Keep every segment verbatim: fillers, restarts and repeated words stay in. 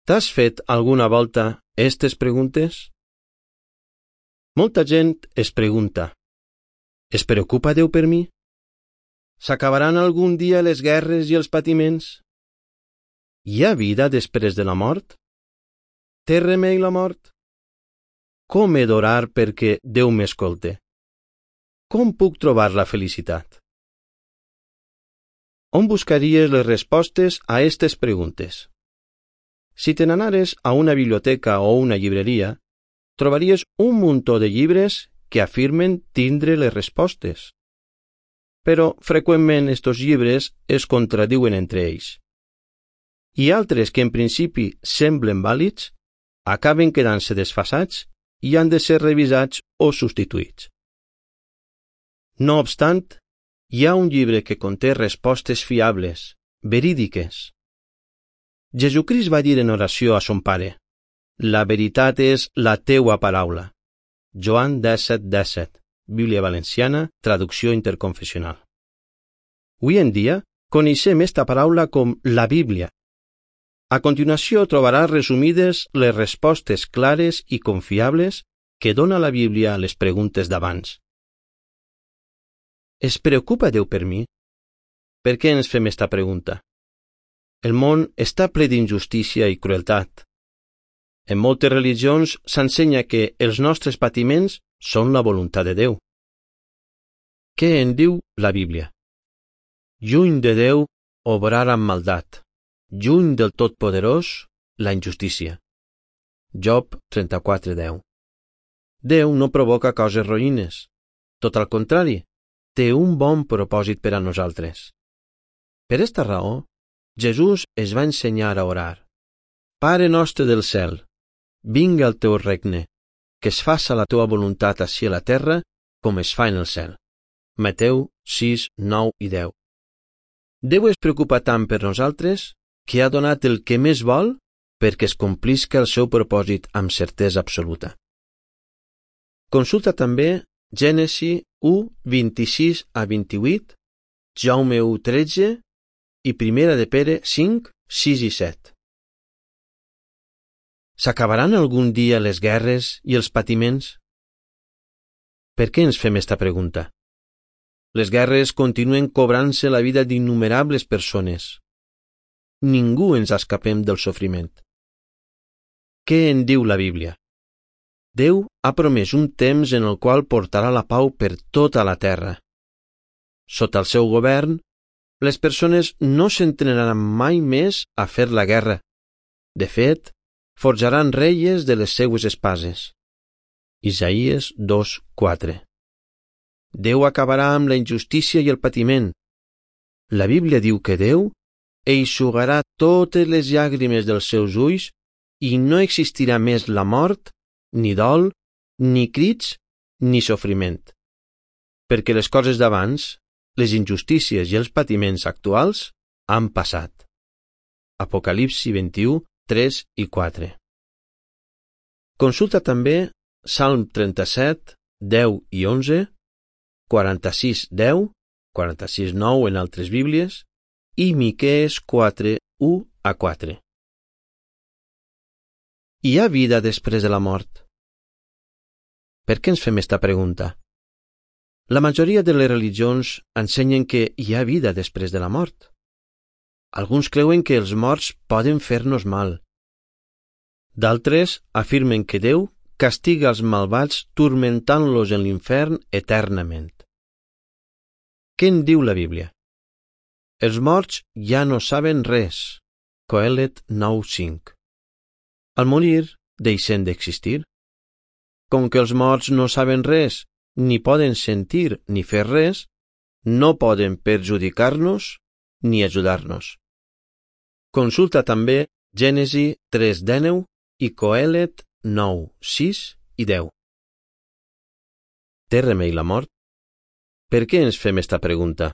T'has fet alguna volta estes preguntes? Molta gent es pregunta: es preocupa Déu per mi? S'acabaran algun dia les guerres i els patiments? Hi ha vida després de la mort? Té remei la mort? Com he d'orar perquè Déu m'escolte? Com puc trobar la felicitat? On buscaries les respostes a aquestes preguntes? Si te n'anares a una biblioteca o una llibreria, trobaries un muntó de llibres que afirmen tindre les respostes. Però freqüentment estos llibres es contradiuen entre ells. I altres que en principi semblen vàlids acaben quedant-se desfasats i han de ser revisats o substituïts. No obstant, hi ha un llibre que conté respostes fiables, verídiques. Jesucrist va dir en oració a son Pare: la veritat és la teua paraula. Joan disset disset, Bíblia Valenciana, traducció interconfessional. Avui en dia, coneixem esta paraula com la Bíblia. A continuació trobaràs resumides les respostes clares i confiables que dona la Bíblia a les preguntes d'abans. Es preocupa Déu per mi? Per què ens fem esta pregunta? El món està ple d'injustícia i crueltat. En moltes religions s'ensenya que els nostres patiments són la voluntat de Déu. Què en diu la Bíblia? Lluny de Déu, obrar amb maldat. Lluny del Totpoderós, la injustícia. Job trenta-quatre deu. Déu no provoca coses roïnes. Tot al contrari, té un bon propòsit per a nosaltres. Per esta raó, Jesús es va ensenyar a orar: Pare nostre del cel, vinga el teu regne, que es faça la teua voluntat ací a la terra com es fa en el cel. Mateu sis, nou i deu. Déu es preocupa tant per nosaltres que ha donat el que més vol perquè es complisca el seu propòsit amb certesa absoluta. Consulta també Gènesi u, vint-i-sis a vint-i-vuit, Jaume u, tretze i Primera de Pere cinc, sis i set. S'acabaran algun dia les guerres i els patiments? Per què ens fem esta pregunta? Les guerres continuen cobrant-se la vida d'innumerables persones. Ningú ens escapem del sofriment. Què en diu la Bíblia? Déu ha promès un temps en el qual portarà la pau per tota la terra. Sota el seu govern, les persones no s'entrenaran mai més a fer la guerra. De fet, forjaran reies de les seues espases. Isaïes dos, quatre. Déu acabarà amb la injustícia i el patiment. La Bíblia diu que Déu eixugarà totes les llàgrimes dels seus ulls i no existirà més la mort, ni dol, ni crits, ni sofriment. Perquè les coses d'abans, les injustícies i els patiments actuals, han passat. Apocalipsi vint-i-u, tres i quatre. Consulta també Salm trenta-set, deu i onze, quaranta-sis, deu, quaranta-sis, nou en altres Bíblies, i Miquees quatre, u a quatre. Hi ha vida després de la mort? Per què ens fem esta pregunta? La majoria de les religions ensenyen que hi ha vida després de la mort. Alguns creuen que els morts poden fer-nos mal. D'altres afirmen que Déu castiga els malvats turmentant-los en l'infern eternament. Què en diu la Bíblia? Els morts ja no saben res. Coelet nou, cinc. Al morir, deixen d'existir. Com que els morts no saben res, ni poden sentir ni fer res, no poden perjudicar-nos ni ajudar-nos. Consulta també Gènesi tres, dinou i Coelet nou, sis i deu. Té remei la mort? Per què ens fem esta pregunta?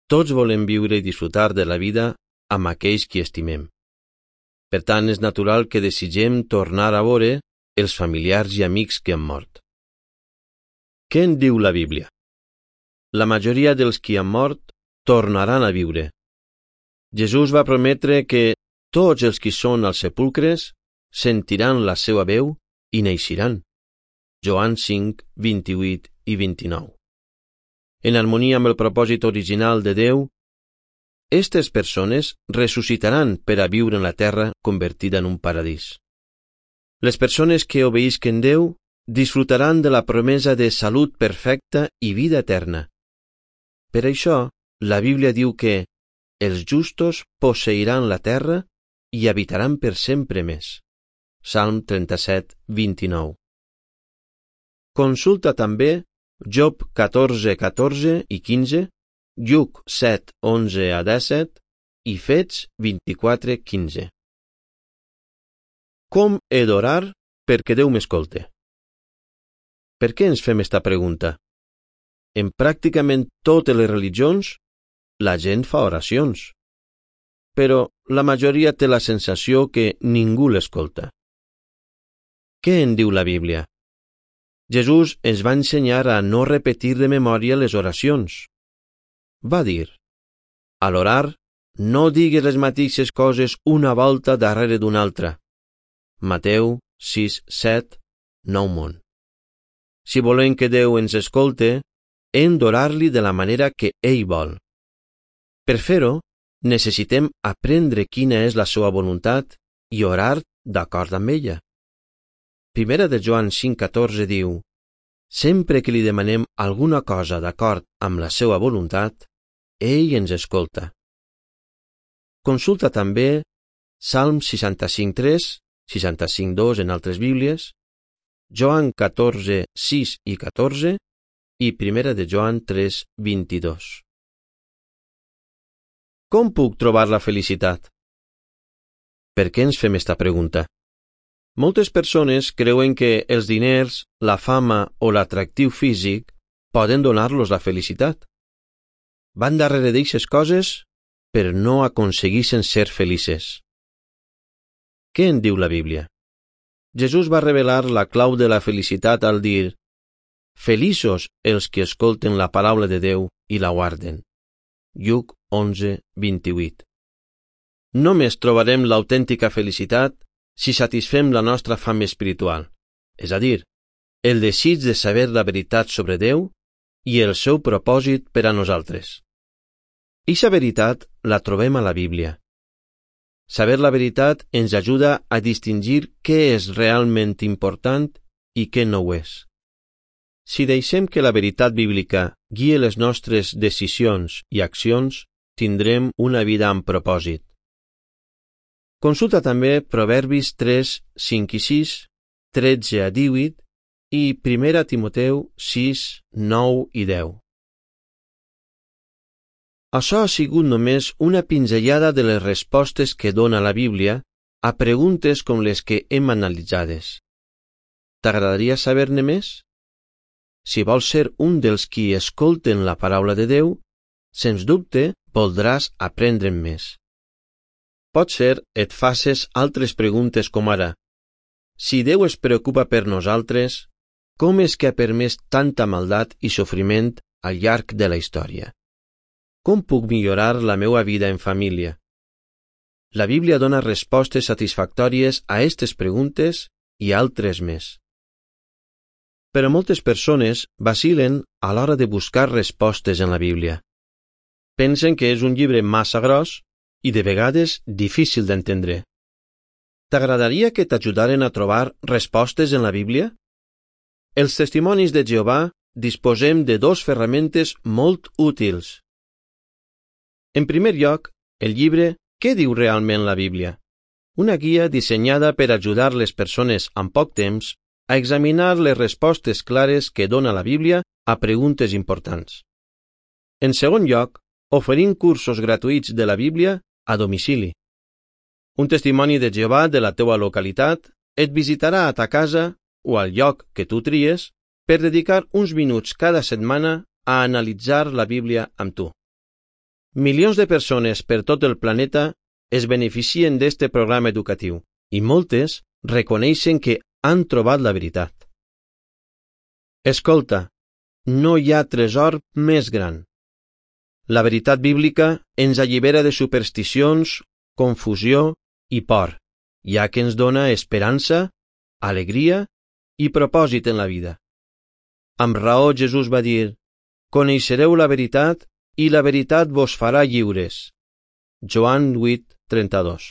Tots volem viure i disfrutar de la vida amb aquells qui estimem. Per tant, és natural que desitgem tornar a veure els familiars i amics que han mort. Què en diu la Bíblia? La majoria dels qui han mort tornaran a viure. Jesús va prometre que tots els qui són als sepulcres sentiran la seva veu i neixiran. Joan cinc, vint-i-vuit i vint-i-nou. En harmonia amb el propòsit original de Déu, aquestes persones ressuscitaran per a viure en la terra convertida en un paradís. Les persones que obeïsquen Déu disfrutaran de la promesa de salut perfecta i vida eterna. Per això, la Bíblia diu que els justos posseiran la terra i habitaran per sempre més. Salm trenta-set, vint-i-nou. Consulta també Job catorze, catorze i quinze, Lluc set, onze a disset i Fets vint-i-quatre, quinze. Com he d'orar perquè Déu m'escolte? Per què ens fem esta pregunta? En pràcticament totes les religions, la gent fa oracions, però la majoria té la sensació que ningú l'escolta. Què en diu la Bíblia? Jesús ens va ensenyar a no repetir de memòria les oracions. Va dir, a l'orar, no digues les mateixes coses una volta darrere d'una altra. Mateu sis, set, nou món. Si volem que Déu ens escolte, hem d'orar-li de la manera que ell vol. Per fer-ho, necessitem aprendre quina és la seva voluntat i orar d'acord amb ella. Primera de Joan cinc, catorze diu, sempre que li demanem alguna cosa d'acord amb la seva voluntat, ell ens escolta. Consulta també Salm seixanta-cinc, tres, seixanta-cinc, dos en altres Bíblies, Joan catorze, sis i catorze i Primera de Joan tres, vint-i-dos. Com puc trobar la felicitat? Per què ens fem esta pregunta? Moltes persones creuen que els diners, la fama o l'atractiu físic poden donar-los la felicitat. Van darrere d'eixes coses, però no aconsegueixen ser felices. Què en diu la Bíblia? Jesús va revelar la clau de la felicitat al dir «Feliços els que escolten la paraula de Déu i la guarden». Lluc onze, vint-i-vuit. Només trobarem l'autèntica felicitat si satisfem la nostra fam espiritual, és a dir, el desig de saber la veritat sobre Déu i el seu propòsit per a nosaltres. Eixa veritat la trobem a la Bíblia. Saber la veritat ens ajuda a distingir què és realment important i què no ho és. Si deixem que la veritat bíblica guie les nostres decisions i accions, tindrem una vida amb propòsit. Consulta també Proverbis tres, cinc i sis, tretze a divuit i Primera Timoteu sis, nou i deu. Això ha sigut només una pinzellada de les respostes que dona la Bíblia a preguntes com les que hem analitzades. T'agradaria saber-ne més? Si vols ser un dels qui escolten la paraula de Déu, sens dubte voldràs aprendre'n més. Potser et faces altres preguntes com ara: si Déu es preocupa per nosaltres, com és que ha permès tanta maldat i sofriment al llarg de la història? Com puc millorar la meva vida en família? La Bíblia dona respostes satisfactòries a aquestes preguntes i altres més. Però moltes persones vacilen a l'hora de buscar respostes en la Bíblia. Pensen que és un llibre massa gros i de vegades difícil d'entendre. T'agradaria que t'ajudaren a trobar respostes en la Bíblia? Els testimonis de Jehovà disposem de dos ferramentes molt útils. En primer lloc, el llibre Què diu realment la Bíblia? Una guia dissenyada per ajudar les persones amb poc temps a examinar les respostes clares que dona la Bíblia a preguntes importants. En segon lloc, oferim cursos gratuïts de la Bíblia a domicili. Un testimoni de Jehovà de la teua localitat et visitarà a ta casa o al lloc que tu tries per dedicar uns minuts cada setmana a analitzar la Bíblia amb tu. Milions de persones per tot el planeta es beneficien d'este programa educatiu i moltes reconeixen que han trobat la veritat. Escolta, no hi ha tresor més gran. La veritat bíblica ens allibera de supersticions, confusió i por, ja que ens dona esperança, alegria i propòsit en la vida. Amb raó Jesús va dir: «Coneixereu la veritat i la veritat vos farà lliures». Joan vuit, trenta-dos.